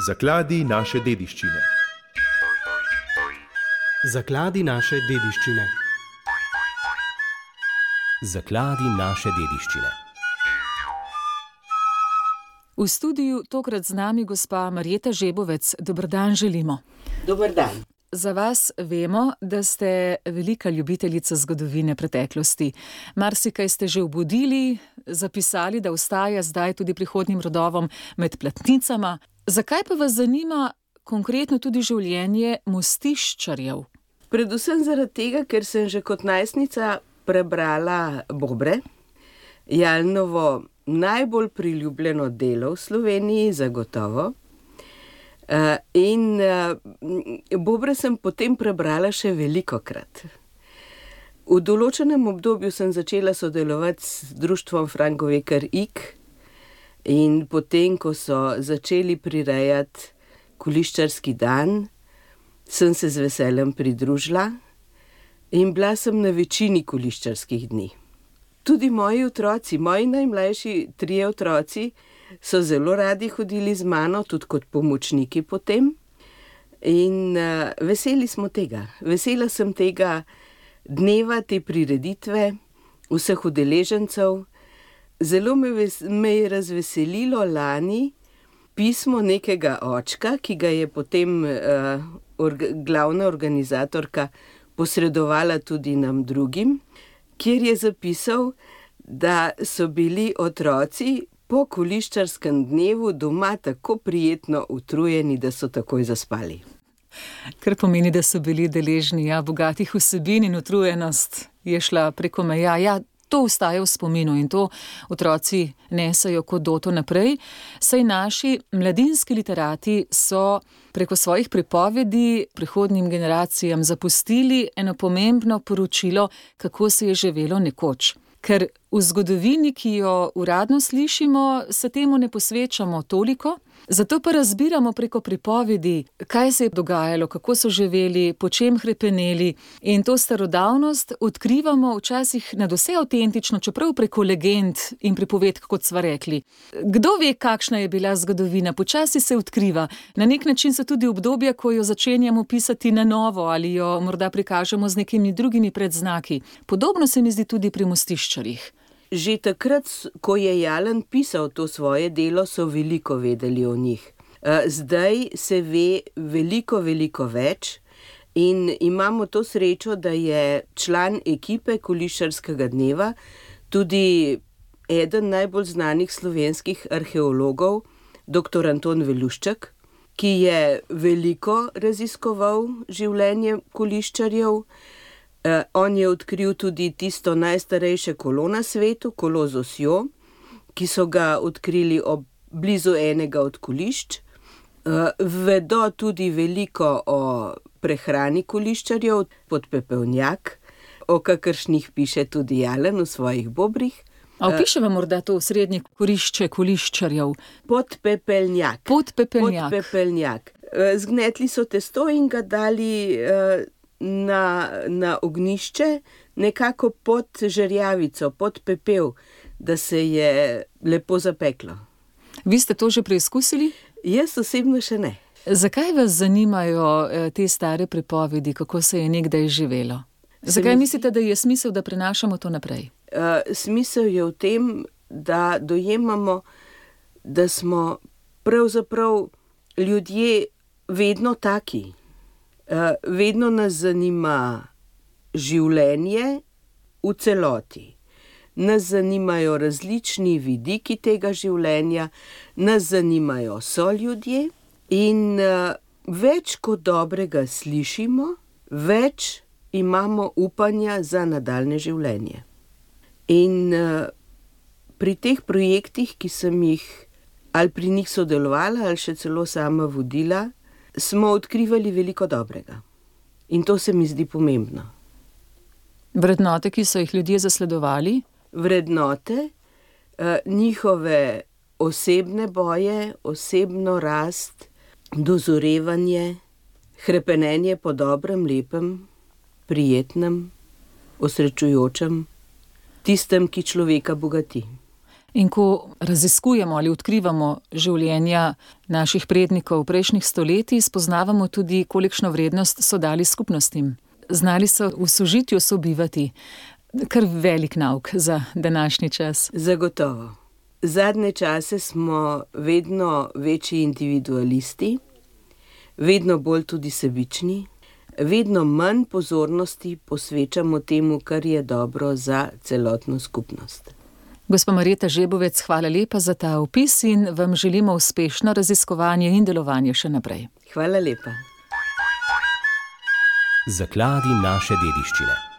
Zakladi naše dediščine. Zakladi naše dediščine. Zakladi naše dediščine. V studiu tokrat z nami gospa Marjeta Žebovec. Dober dan želimo. Dober dan. Za vas vemo, da ste velika ljubiteljica zgodovine preteklosti. Marsikaj ste že obudili, zapisali, da ostaja zdaj tudi prihodnjim rodovom med platnicama. Zakaj pa vas zanima konkretno tudi življenje Mostiščarjev? Predvsem zaradi tega, ker sem že kot najstnica prebrala Bobre, Jalnovo najbolj priljubljeno delo v Sloveniji, zagotovo. In Bobre sem potem prebrala še velikokrat. V določenem obdobju sem začela sodelovati s društvom Franko Vekar Ig in potem, ko so začeli prirejati Kuliščarski dan, sem se z veseljem pridružila in bila sem na večini kuliščarskih dni. Tudi moji otroci, moji najmlajši 3 otroci, so zelo radi hodili z mano, tudi kot pomočniki potem. In veseli smo tega. Vesela sem tega dneva, te prireditve, vseh udeležencev. Zelo me je razveselilo lani pismo nekega očka, ki ga je potem glavna organizatorka posredovala tudi nam drugim, kjer je zapisal, da so bili otroci po kuliščarskem dnevu doma tako prijetno utrujeni, da so takoj zaspali. Kar pomeni, da so bili deležni bogatih vsebin in utrujenost je šla preko meja. Ja, to ostaja v spominu in to otroci nesejo kot doto naprej. Saj naši mladinski literati so preko svojih pripovedi prihodnjim generacijam zapustili eno pomembno poročilo, kako se je živelo nekoč. Ker v zgodovini, ki jo uradno slišimo, se temu ne posvečamo toliko, zato pa razbiramo preko pripovedi, kaj se je dogajalo, kako so živeli, po čem hrepeneli, in to starodavnost odkrivamo včasih nadvse avtentično, čeprav preko legend in pripovedk, kot sva rekli. Kdo ve, kakšna je bila zgodovina, počasi se odkriva. Na nek način so tudi obdobja, ko jo začenjamo pisati na novo ali jo morda prikažemo z nekimi drugimi predznaki. Podobno se mi zdi tudi pri Mostiščarjih. Že takrat, ko je Jalen pisal to svoje delo, so veliko vedeli o njih. Zdaj se ve veliko več in imamo to srečo, da je član ekipe Kuliščarskega dneva tudi eden najbolj znanih slovenskih arheologov, dr. Anton Velušček, ki je veliko raziskoval življenje Kuliščarjev. On je odkril tudi tisto najstarejše kolo na svetu, kolo z osjo, ki so ga odkrili blizu enega od kulišč. Vedo tudi veliko o prehrani kuliščarjev, podpepelnjak, o kakršnih piše tudi Jalen v svojih Bobrih. A opiševa morda to srednje kurišče kuliščarjev? Podpepelnjak. Podpepelnjak. Zgnetli so testo in ga dali na ognjišče, nekako pod žerjavico, pod pepel, da se je lepo zapeklo. Vi ste to že preizkusili? Jaz osebno še ne. Zakaj vas zanimajo te stare pripovedi, kako se je nekdaj živelo? Zakaj mislite, da je smisel, da prenašamo to naprej? Smisel je v tem, da dojemamo, da smo pravzaprav ljudje vedno taki. Vedno nas zanima življenje v celoti. Nas zanimajo različni vidiki tega življenja, nas zanimajo soljudje in več kot dobrega slišimo, več imamo upanja za nadaljnje življenje. In pri teh projektih, ki sem jih ali pri njih sodelovala ali še celo sama vodila, smo odkrivali veliko dobrega. In to se mi zdi pomembno. Vrednote, ki so jih ljudje zasledovali? Vrednote, njihove osebne boje, osebno rast, dozorevanje, hrepenenje po dobrem, lepem, prijetnem, osrečujočem, tistem, ki človeka bogati. In ko raziskujemo ali odkrivamo življenja naših prednikov prejšnjih stoletij, spoznavamo tudi, kolikšno vrednost so dali skupnostim. Znali so v sožitju sobivati. Kar velik nauk za današnji čas. Zagotovo. Zadnje čase smo vedno večji individualisti, vedno bolj tudi sebični, vedno manj pozornosti posvečamo temu, kar je dobro za celotno skupnost. Gospa Marjeta Žebovec, hvala lepa za ta opis in vam želimo uspešno raziskovanje in delovanje še naprej. Hvala lepa. Zakladi naše dediščine.